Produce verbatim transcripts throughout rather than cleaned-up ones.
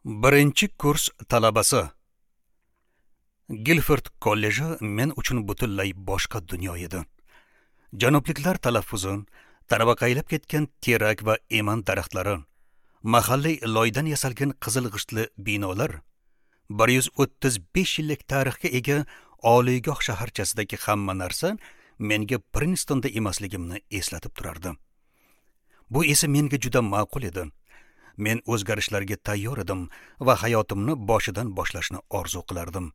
Birinchi kurs talabasi. Gilford kolleji men uchun butunlay boshqa dunyo edi. Janubliklar talaffuzi, tarvaqaylab ketgan terak va eman daraxtlari, mahalliy loydan yasalgan qizil g'ishtli binolar, bir yuz o'ttiz besh yillik tarixga ega oliygoh shaharchasidagi hamma narsa menga Prinstonda emasligimni eslatib turardi. Bu esa menga juda ma'qul edi. Men o'zgarishlarga tayyor edim va hayotimni boshidan boshlashni orzu qilardim.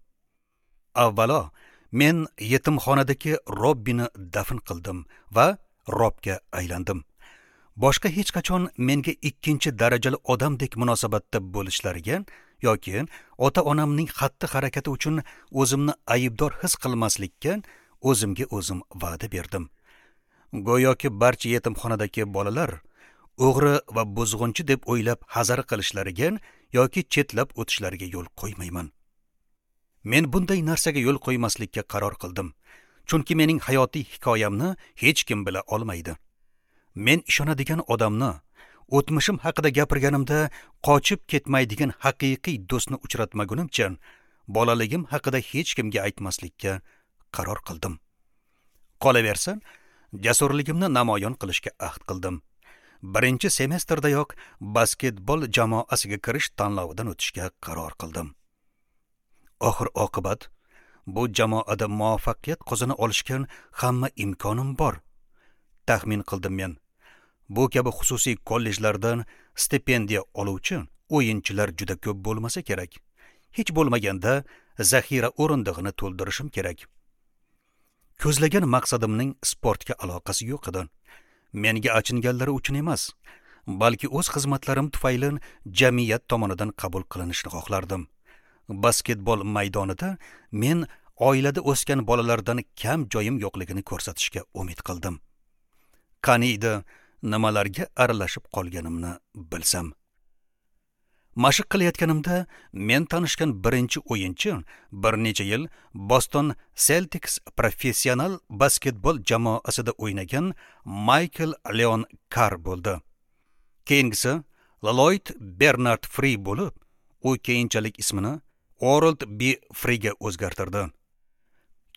Avvalo, men yetimxonadagi Robbini dafn qildim va Robga aylandim. Boshqa hech qachon menga ikkinchi darajali odamdek munosabatda bo'lishlariga yoki ota-onamning xatti-harakati uchun o'zimni aybdor his qilmaslikka o'zimga o'zim va'da berdim. Go'yoki barcha yetimxonadagi bolalar o'g'ri va buzg'unchi deb o'ylab hazar qilishlariga yoki chetlab o'tishlariga yo'l qo'ymayman. Men bunday narsaga yo'l qo'ymaslikka qaror qildim, chunki mening hayotiy hikoyamni hech kim bila olmaydi. Men ishonadigan odamni, o'tmishim haqida gapirganimda qochib ketmaydigan haqiqiy do'stni uchratmagunimcha bolaligim haqida hech kimga aytmaslikka qaror qildim. Qolaversa, jasurligimni namoyon qilishga ahd qildim. Birinchi semestrdayoq basketbol jamoasiga kirish tanlovidan o'tishga qaror qildim. Oxir oqibat bu jamoada muvaffaqiyat qozona olishga hamma imkonim bor, taxmin qildim men. Bu kabi xususiy kollejlardan stipendiya oluvchi o'yinchilar juda ko'p bo'lmasa kerak. Hech bo'lmaganda zaxira o'rindig'ini to'ldirishim kerak. Ko'zlagan maqsadimning sportga aloqasi yo'q edi. Menga achinganlari uchun emas, balki o'z xizmatlarim tufayli jamiyat tomonidan qabul qilinishni xohlardim. Basketbol maydonida men oilada o'sgan bolalardan kam joyim yo'qligini ko'rsatishga umid qildim. Qani edi nimalarga aralashib qolganimni bilsam. Mashq qilayotganimda men tanishgan birinchi o'yinchi bir necha yil Boston Celtics professional basketbol jamoasida o'ynagan Michael Leon Carr bo'ldi. Keyingisi Lloyd Bernard Free bo'lib, u keyinchalik ismini Orald B. Freega o'zgartirdi.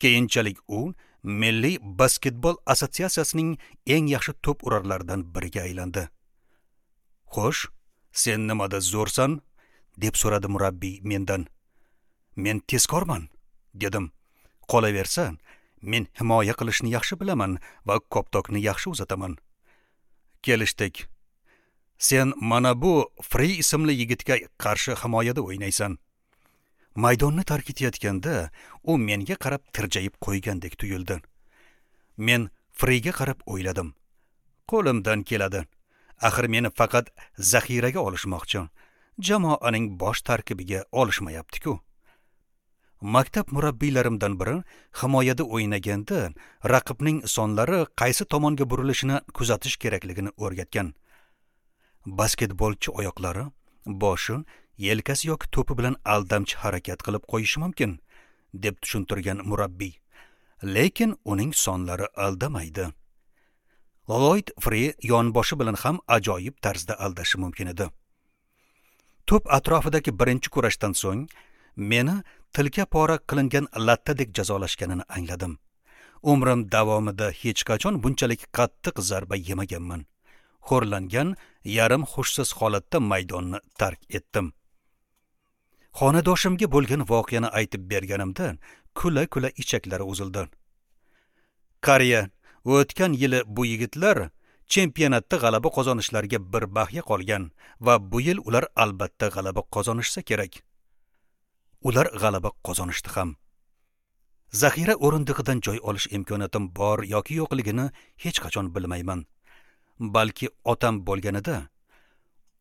Keyinchalik u Milliy basketbol assotsiatsiyasining eng yaxshi to'p urarlaridan biriga aylandi. "Xo'sh, sen nimada zo'rsan?" deb so'radi murabbiy mendan. "Men tezkorman", dedim. "Qolaversa, men himoya qilishni yaxshi bilaman va koptokni yaxshi uzataman." Kelishdik. "Sen mana bu Free ismli yigitga qarshi himoyada o'ynaysan." Maydonni tark etayotganda u menga qarab tirjayib qo'ygandek tuyuldi. Men Freega qarab o'yladim. Qo'limdan keladi. Axir meni faqat zaxiraga olishmoqchi. Jamoaning bosh tarkibiga olishmayapti-ku. Maktab murabbiylarimdan biri himoyada o'ynaganda raqibning sonlari qaysi tomonga burilishini kuzatish kerakligini o'rgatgan. Basketbolchi oyoqlari, boshi, yelkasi yoki to'pi bilan aldamchi harakat qilib qo'yishi mumkin, deb tushuntirgan murabbiy. Lekin uning sonlari aldamaydi. Lloyd Free yonboshi bilan ham ajoyib tarzda aldashi mumkin edi. To'p atrofidagi birinchi kurashdan so'ng meni tilka pora qilingan lattadek jazolashganini angladim. Umrim davomida hech qachon bunchalik qattiq zarba yemaganman. Xo'rlangan, yarim hushsiz holatda maydonni tark etdim. Xonadoshimga bo'lgan voqeani aytib berganimda kula-kula ichaklari uzildi. Qariya, o'tgan yili bu yigitlar chempionatda g'alaba qozonishlariga bir bahya qolgan va bu yil ular albatta g'alaba qozonishsa kerak. Ular g'alaba qozonishdi ham. Zaxira o'rindig'idan joy olish imkoniyatim bor yoki yo'qligini hech qachon bilmayman. Balki otam bo'lganida,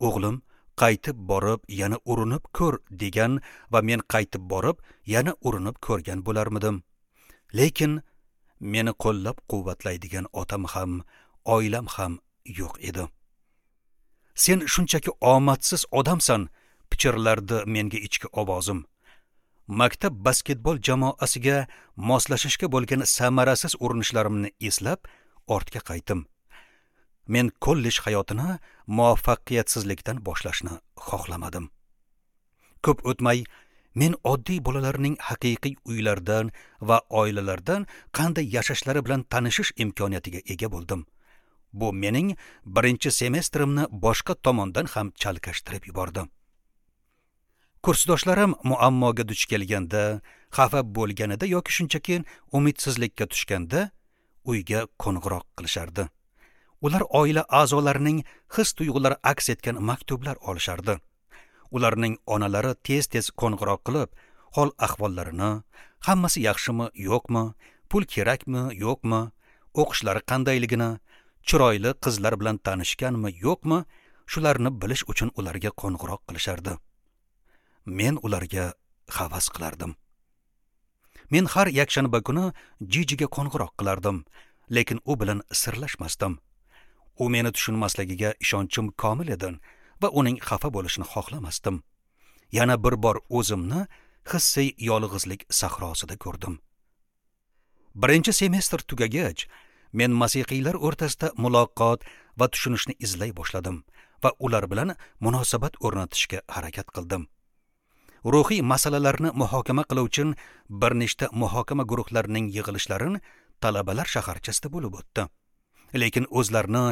"O'g'lim, qaytib borib yana urinib ko'r" degan va men qaytib borib yana urinib ko'rgan bo'larmidim. Lekin meni qo'llab quvvatlaydigan otam ham, oilam ham yo'q edi. "Sen shunchaki omadsiz odamsan", pichirlardi menga ichki ovozim. Maktab basketbol jamoasiga moslashishga bo'lgan samarasiz urinishlarimni eslab ortga qaytdim. Men kollej hayotini muvaffaqiyatsizlikdan boshlashni xohlamadim. Ko'p o'tmay men oddiy bolalarning haqiqiy uylardan va oilalardan qanday yashashlari bilan tanishish imkoniyatiga ega bo'ldim. Bu mening birinchi semestrimni boshqa tomondan ham chalkashtirib yubordi. Kursdoshlarim muammoga duch kelganda, xafa bo'lganida yoki shunchaki umidsizlikka tushganda uyga qo'ng'iroq qilishardi. Ular oila a'zolarining his-tuyg'ulari aks etgan maktublar olishardi. Ularning onalari tez-tez qo'ng'iroq qilib, hol ahvollarini, hammasi yaxshimi, yo'qmi, pul kerakmi, yo'qmi, o'qishlari qandayligini, chiroyli qizlar bilan tanishganmi, yo'qmi, shularni bilish uchun ularga qo'ng'iroq qilishardi. Men ularga havas qilardim. Men har yakshanba kuni Jijiga qo'ng'iroq qilardim, lekin u bilan sirlashmasdim. U meni tushunmasligiga ishonchim komil edi va uning xafa bo'lishini xohlamasdim. Yana bir bor o'zimni hissiy yolg'izlik sahrosida ko'rdim. Birinchi semestr tugagach, men masihiylar o'rtasida muloqot va tushunishni izlay boshladim va ular bilan munosabat o'rnatishga harakat qildim. Ruhiy masalalarni muhokama qiluvchi bir nechta muhokama guruhlarining yig'ilishlari talabalar shaharchasida bo'lib o'tdi. Lekin o'zlarini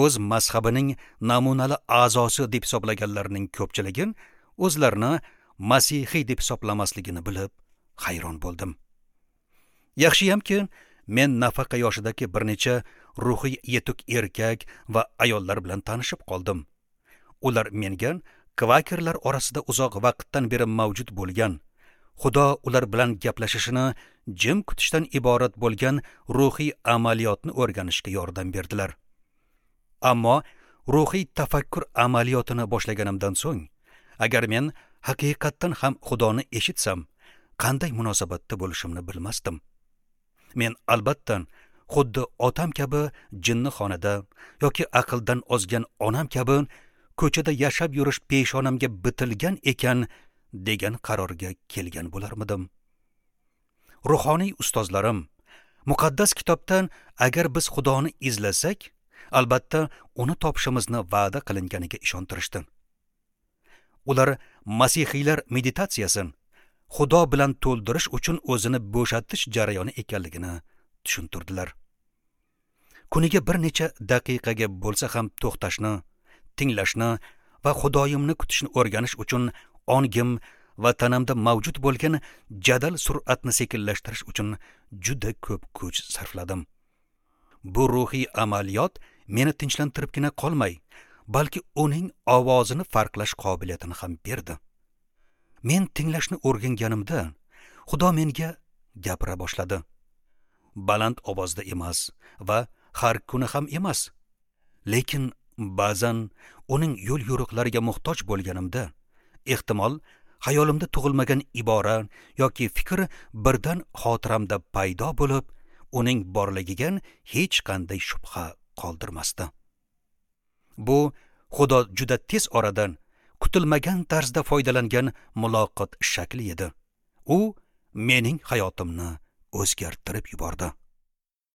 o'z mazhabining namunali a'zosi deb hisoblaganlarning ko'pchiligi o'zlarini masihiy deb hisoblamasligini bilib hayron bo'ldim. Yaxshiyamki, men nafaqa yoshidagi bir necha ruhiy yetuk erkak va ayollar bilan tanishib qoldim. Ular menga kvakerlar orasida uzoq vaqtdan beri mavjud bo'lgan, Xudo ular bilan gaplashishini jim kutishdan iborat bo'lgan ruhiy amaliyotni o'rganishga yordam berdilar. Ammo ruhiy tafakkur amaliyotini boshlaganimdan so'ng, agar men haqiqatdan ham Xudoni eshitsam, qanday munosabatda bo'lishimni bilmasdim. Men albatta xuddi otam kabi jinnixonada yoki aqldan ozgan onam kabi ko'chada yashab yurish peshonamga bitilgan ekan degan qarorga kelgan bo'larmidim. Ruhoniy ustozlarim muqaddas kitobdan agar biz Xudoni izlasak, albatta uni topishimizni va'da qilinganiga ishontirishdi. Ular masihiylar meditatsiyasini Xudo bilan to'ldirish uchun o'zini bo'shatish jarayoni ekanligini tushuntirdilar. Kuniga bir necha daqiqaga bo'lsa ham to'xtashni, tinglashni va Xudoyimni kutishni o'rganish uchun ongim va tanamda mavjud bo'lgan jadal sur'atni sekinlashtirish uchun juda ko'p kuch sarfladim. Bu ruhiy amaliyot meni tinchlantiribgina qolmay, balki uning ovozini farqlash qobiliyatini ham berdi. Men tinglashni o'rganganimda Xudo menga gapira boshladi. Baland ovozda emas va har kuni ham emas, lekin ba'zan uning yo'l yo'riqlariga muhtoj bo'lganimda, ehtimol xayolimda tug'ilmagan ibora yoki fikr birdan xotiramda paydo bo'lib, uning borligiga hech qanday shubha qoldirmasdi. Bu Xudo juda tez oradan kutilmagan tarzda foydalangan muloqot shakli edi. U mening hayotimni o'zgartirib yubordi.